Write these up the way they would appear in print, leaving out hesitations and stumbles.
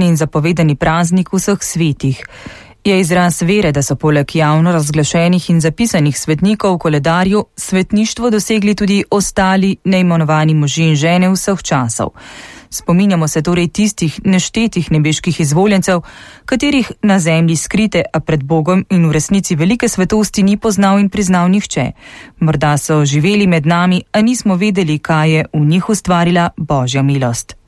in zapovedani praznik vseh svetih. Je izraz vere, da so poleg javno razglašenih in zapisanih svetnikov v koledarju svetništvo dosegli tudi ostali neimenovani možje in žene vseh časov. Spominjamo se torej tistih neštetih nebeških izvoljencev, katerih na zemlji skrite, a pred Bogom in v resnici velike svetosti ni poznal in priznal nihče. Morda so živeli med nami, a nismo vedeli, kaj je v njih ustvarila Božja milost.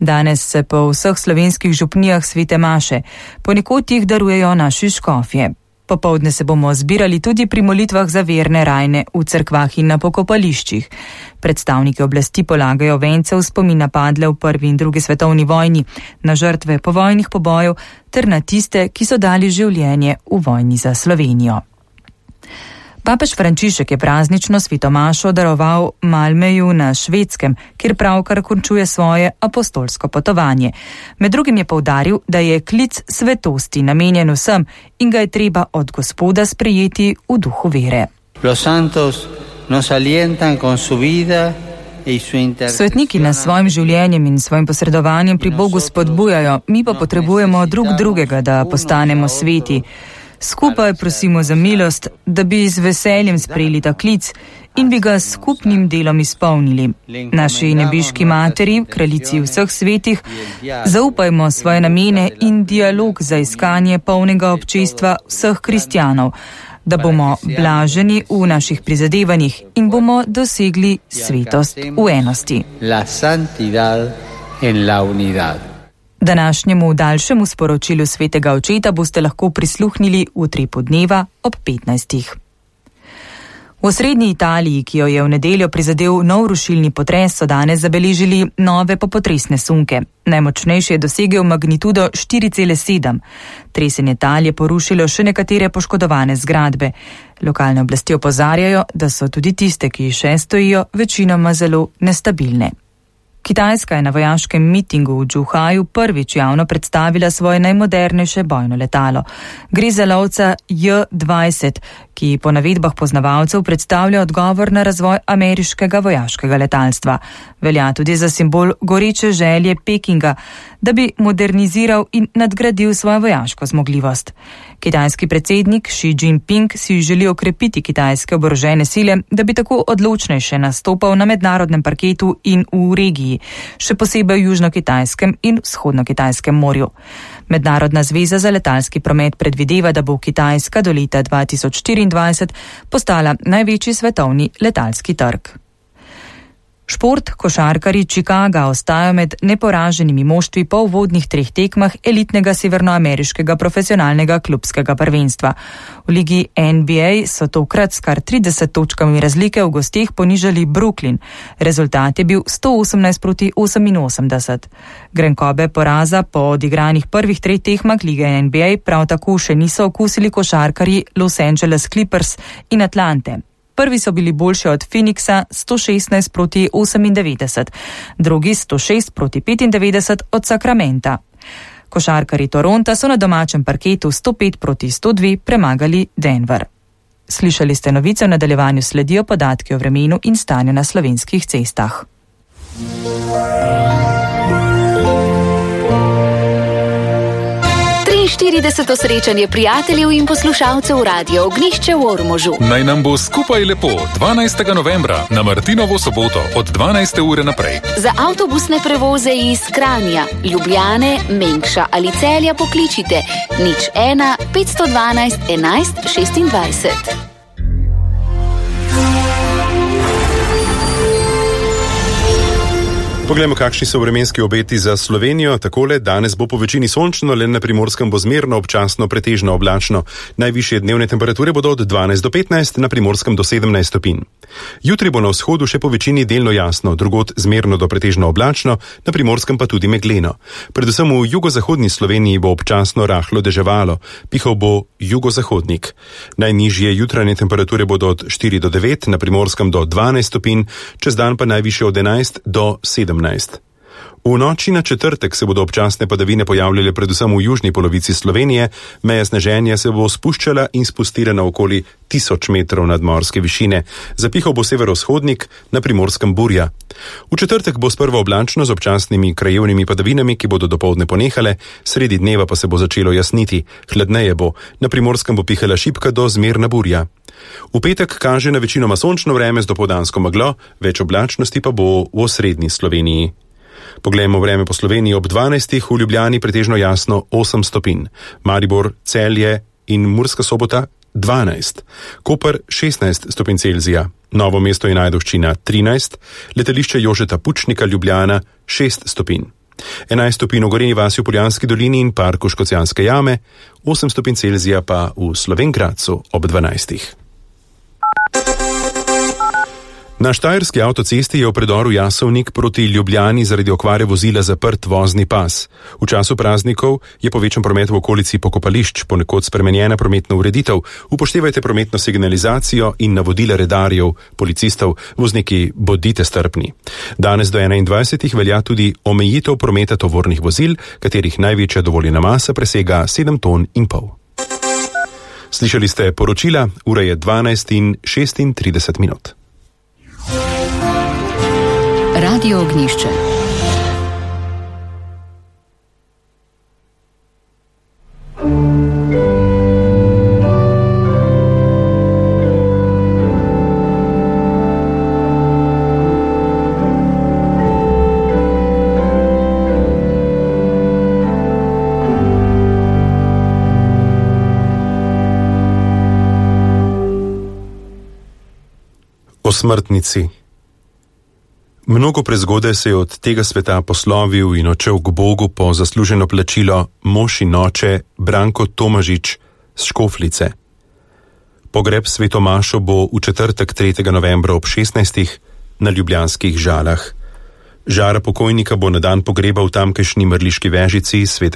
Danes se po vseh slovenskih župnijah svete maše, ponekod jih darujejo naši škofje. Popoldne se bomo zbirali tudi pri molitvah za verne rajne v cerkvah in na pokopališčih. Predstavniki oblasti polagajo vence v spomin na padle v prvi in drugi svetovni vojni, na žrtve povojnih pobojev ter na tiste, ki so dali življenje v vojni za Slovenijo. Papež Frančišek je praznično svetomašo daroval Malmöju na Švedskem, kjer pravkar končuje svoje apostolsko potovanje. Med drugim je poudaril, da je klic svetosti namenjen vsem in ga je treba od Gospoda sprejeti v duhu vere. Svetniki nas s svojim življenjem in svojim posredovanjem pri Bogu spodbujajo, mi pa potrebujemo drug drugega, da postanemo sveti. Skupaj prosimo za milost, da bi z veseljem sprejeli ta klic in bi ga s skupnim delom izpolnili. Naši nebeški materi, kraljici vseh svetih, zaupajmo svoje namene in dialog za iskanje polnega občestva vseh kristjanov, da bomo blaženi v naših prizadevanjih in bomo dosegli svetost v enosti. Današnjemu daljšemu sporočilu svetega očeta boste lahko prisluhnili v utripu dneva ob 15. V osrednji Italiji, ki jo je v nedeljo prizadel nov rušilni potres, so danes zabeležili nove popotresne sunke. Najmočnejši je dosegel magnitudo 4,7. Tresenje tal je porušilo še nekatere poškodovane zgradbe. Lokalne oblasti opozarjajo, da so tudi tiste, ki še stojijo, večinoma zelo nestabilne. Kitajska je na vojaškem mitingu v Zhuhaju prvič javno predstavila svoje najmodernejše bojno letalo. Gre za lovca J-20, ki po navedbah poznavalcev predstavlja odgovor na razvoj ameriškega vojaškega letalstva. Velja tudi za simbol goreče želje Pekinga, da bi moderniziral in nadgradil svojo vojaško zmogljivost. Kitajski predsednik Xi Jinping si želi okrepiti kitajske oborožene sile, da bi tako odločnejše nastopal na mednarodnem parketu in v regiji, še posebej v Južno-Kitajskem in Vzhodno-Kitajskem morju. Mednarodna zveza za letalski promet predvideva, da bo Kitajska do leta 2024 postala največji svetovni letalski trg. Šport, košarkarji Chicaga ostajajo med neporaženimi moštvi po uvodnih 3 tekmah elitnega severnoameriškega profesionalnega klubskega prvenstva. V ligi NBA so tokrat s kar 30 točkami razlike v gosteh ponižali Brooklyn. Rezultat je bil 118-88. Grenkobe poraza po odigranih prvih 3 tekmah lige NBA prav tako še niso okusili košarkarji Los Angeles Clippers in Atlante. Prvi so bili boljši od Phoenixa 116-98, drugi 106-95 od Sacramenta. Košarkarji Toronta so na domačem parketu 105-102 premagali Denver. Slišali ste novice, v nadaljevanju sledijo podatki o vremenu in stanju na slovenskih cestah. 40. srečanje prijateljev in poslušalcev Radio Ognjišče v Ormožu. Naj nam bo skupaj lepo 12. novembra na Martinovo soboto od 12. ure naprej. Za avtobusne prevoze iz Kranja, Ljubljane, Mengša ali Celja pokličite 01 512 11 26. Poglejmo, kakšni so vremenski obeti za Slovenijo. Takole, danes bo po večini sončno, le na Primorskem bo zmerno, občasno pretežno oblačno. Najvišje dnevne temperature bodo od 12 do 15, na Primorskem do 17 stopinj. Jutri bo na vzhodu še po večini delno jasno, drugod zmerno do pretežno oblačno, na Primorskem pa tudi megleno. Predvsem v jugozahodni Sloveniji bo občasno rahlo deževalo, pihal bo jugozahodnik. Najnižje jutranje temperature bodo od 4 do 9, na Primorskem do 12 stopinj, čez dan pa najvišje od 11 do 17. V noči na četrtek se bodo občasne padavine pojavljale predvsem v južni polovici Slovenije, meja sneženja se bo spuščala in spustila na okoli 1000 metrov nadmorske višine. Zapihal bo severovzhodnik, na Primorskem burja. V četrtek bo sprva oblačno z občasnimi krajevnimi padavinami, ki bodo dopoldne ponehale, sredi dneva pa se bo začelo jasniti. Hladneje bo, na Primorskem bo pihala šibka do zmerna burja. V petek kaže na večinoma sončno vreme z dopoldansko meglo, več oblačnosti pa bo v osrednji Sloveniji. Poglejmo vreme po Sloveniji ob 12. V Ljubljani pretežno jasno 8 stopinj, Maribor, Celje in Murska Sobota 12, Koper 16 stopinj Celzija, Novo mesto in Ajdovščina 13, letališče Jožeta Pučnika Ljubljana 6 stopinj. 11 stopinj v Gorenji vasi v Poljanski dolini in parku Škocjanske jame, 8 stopinj Celzija pa v Slovenj Gradcu ob 12. Na štajerski avtocesti je v predoru Jasovnik proti Ljubljani zaradi okvare vozila zaprt vozni pas. V času praznikov je povečan promet v okolici pokopališč, ponekod spremenjena prometna ureditev. Upoštevajte prometno signalizacijo in navodila redarjev, policistov, vozniki bodite strpni. Danes do 21. velja tudi omejitev prometa tovornih vozil, katerih največja dovoljena masa presega 7,5 ton. Slišali ste poročila, ura je 12:36. Radio Ognjišče. O smrtnici. Mnogo prezgodaj se je od tega sveta poslovil in odšel k Bogu po zasluženo plačilo mož in oče Branko Tomažič z Škoflice. Pogreb sveto mašo bo v četrtek 3. novembra ob 16. na ljubljanskih Žalah. Žara pokojnika bo na dan pogreba v tamkajšnji Mrliški Vežici svetega